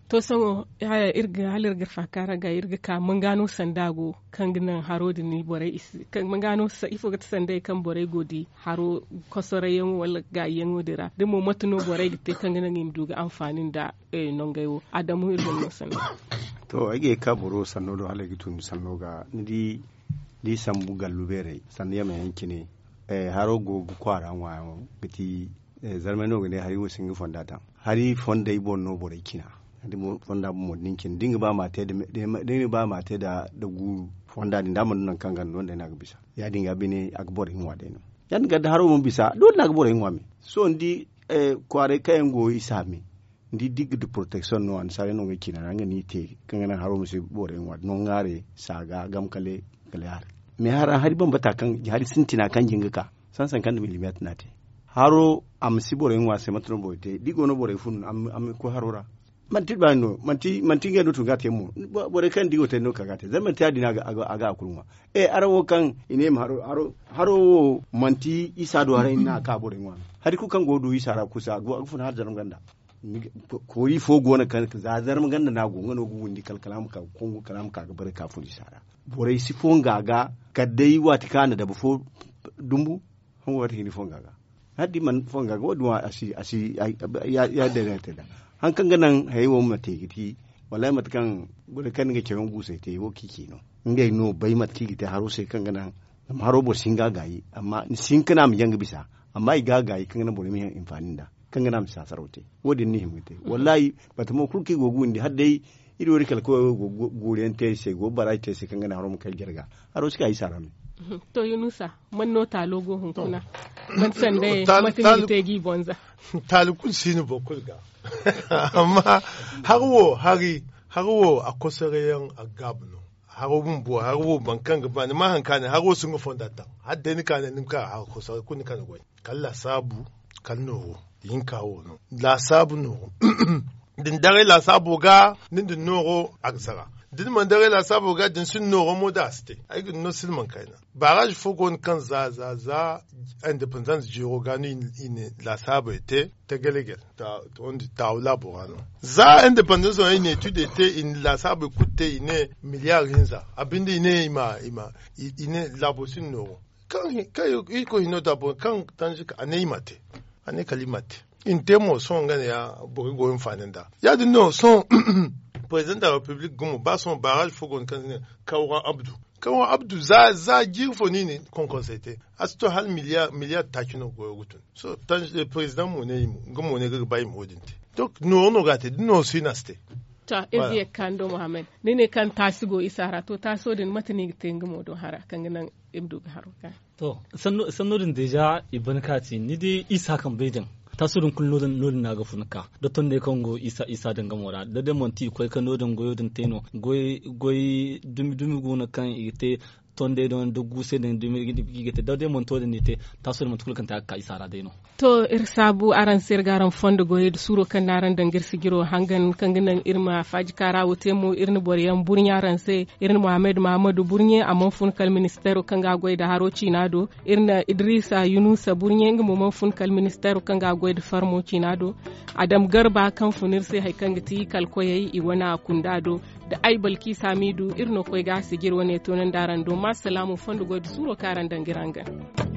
To sohõ hala iri ga iri ga faaka ra ga iri ga ka mangano sanda go kaŋ ga naŋ haro din borey i si mangano ifo ga ti sanday kaŋ borey go di haro kosorayyaŋo wala gaayiyaŋo din ra da mo mate no borey ga te kaŋ ga naŋ i ma du ga anfaani nda nongey wo. Adamu iri ga ni no sanda. To ay ga ye ga ka boro sanno do hala ay ga tun sanno ga ni di da i sambu gallu beerey sannu yame yaŋ cine. Haro go ga kwaara ŋwa yaŋo ga ti zarmay no ga ne hari wo si nga fonda daŋ. Hari fondey boŋ no borey cina. Hari fonda boŋ mo da ni cina da ni ga ba ma a te nda guuru fonda din da a mana du nangu kaŋ ganda no day no a ga bisa. Ya- din ga bine a ga borey ŋwa day no. Ya- din ga da haro mana bisa doole no a ga borey ŋwa me. Sohõ ni di kwaaray kaŋ yaŋ go isa me ni di da i ga du poroteksiyoŋ no annasaarey no ngey cina ra nga no i te kaŋ ga naŋ haro ma si borey ŋwa no ŋwaarey saaga gamkale kala ya- din. Mais hara hari bambata kaŋ hari sintina kaŋ jin ga ka sansan kaŋ nda milimeetir no a te. Haro a ma si borey ŋwa se mate no borey te da i go no borey fun a ma koy haro ra. Manti baani no manti ngey no tun ga a te mo. Borey kaŋ da i go te no ka ga a te zama manti ya- din a ga a kulu ŋwa. Araŋ wo kaŋ i ne i ma haro haro wo manti isa do haray no a ka borey ŋwa no. Hari kulu kaŋ go ga du isa ra kusa a ga fun hala zarma ganda. Koori fo go no kaŋ za zarma ganda no a go nga no ga windi kala kala a ma ka ga kongu kala a ma ka ga bare ka fun isa ra. Borey si fonga ga kala day waati kaŋ a na dabu fo dumbu. Hongo waati hinne fonga ga hala da i mana fonga ga wo- din wo a si a si ya- day no a te nd'a. Hari kaŋ ga naŋ hayey wo ma te ga ti wallaahi mate kaŋ borey kaŋ ni ga caw yaŋ guusey te wo kaŋ i ci no. Ngey no bay mate kaŋ i ga te haro se kaŋ ga naŋ zama haro boro si hin ga a gaayi amma ni si hin ka ne a ma jaŋ ga bisa. Amma i ga a gaayi kaŋ ga naŋ borey ma hin anfaani nd'a kaŋ ga naŋ a ma saasaraw te. Wo- din no i hima ga te wallaahi. Bata mo kulu kaŋ i go ga windi hala day iri wo iri kala koy wo i go ga guuru yaŋ te iri se i go ga baraaji te iri se kaŋ ga naŋ haro ma kay jarga. Haro si ka isa ra me. To yunusa man no taalo go hunkuna? Man sanda mate no i te ga i bonza? Taali kulu si no boro kulu ga amma hari wo hari hari wo a kosoreyaŋ a ga gaabu no. Haro bumbo hari wo boro kaŋ ga ba ni ma hari kaŋ a ne hari wo si nga fonda taŋ. Hala day ni ka ne ni ma ka hari kosoray kulu ni ka ni goy kala laasaabu kala nooro. Hinka wo no laasaabu nooro. Da ni daray laasaabo ga ni nda nooro a ga sara. Da ni mana daray laasaabo ga da ni sinda nooro mo da a si te. Ay ga ni no silmaŋ kayna baaraazi fo go no kaŋ za za za independans jeero ga no i na laasaabey te. Tagalegel taawu laabo ra no za independans no i na etuudey te i na laasaabey kulu te i ne miliyaari hinza a binde i ne i ma i ne laabo sinda nooro. Kaŋ irkoy hino da boro kaŋ tanzika a ne i ma te. A ne kala i ma te i na te mo sohõ nga ne ya boro go hinfaani nda ya- din no sohõ. President de la republique gumo ba sohõ baaraazi fo go no kaŋ se ne kawra abdu. Kawra abdu za jiiri fo no i na konkonsey te. A si to hala miliyar taaci no goyo ga tun. Sohõ president mo ne i mo nga mo ne ga ga ba i ma wo- din te. Donk nooro no ga a te da nooro si no a si te. To iri ga ye ga ka ni do muhammad ni ne kaŋ taasi go isa ra to taaso din mate no i ga te nga mo do hara kaŋ ga naŋ iri ma du ga haro ga. To sanno din deeza i ban ka ci ni di isa kaŋ bay din. Taaso din kulu no- din no a ga fun ka da tondey kaŋ go isa din gamo ra da day manti i koy ga no- din goyo din te no. Goy dumi dumi go no kaŋ i ga te tondey din da guusey din dumi i ga te da day manti wo- din no i te. Taaso din manti kulu kaŋ te a ga ka isa ra day no. To iri saabu araŋ se iri ga araŋ fondo goyey nda suuro kaŋ no araŋ daŋ ga iri sijiro hangan kaŋ ga naŋ iri ma faaji kaara wo te mo iri na boro yaŋ burɲe araŋ se. Iri na muhammad mahamadu burɲe a mana fun kala ministeero kaŋ ga a goy nda haro ciina do. Iri na idrisa yunusa burɲe nga mo mana fun kala ministeero kaŋ ga a goy nda farmo ciina do. Adam garba kaŋ fun iri se hari kaŋ ga ti kala koyey i wane a kunda do. Da ay balki saamidu iri no koy ga a sijiri wane toonandi araŋ do ma salaamu fondo goy nda suuro kaŋ araŋ daŋ ga iri hangan.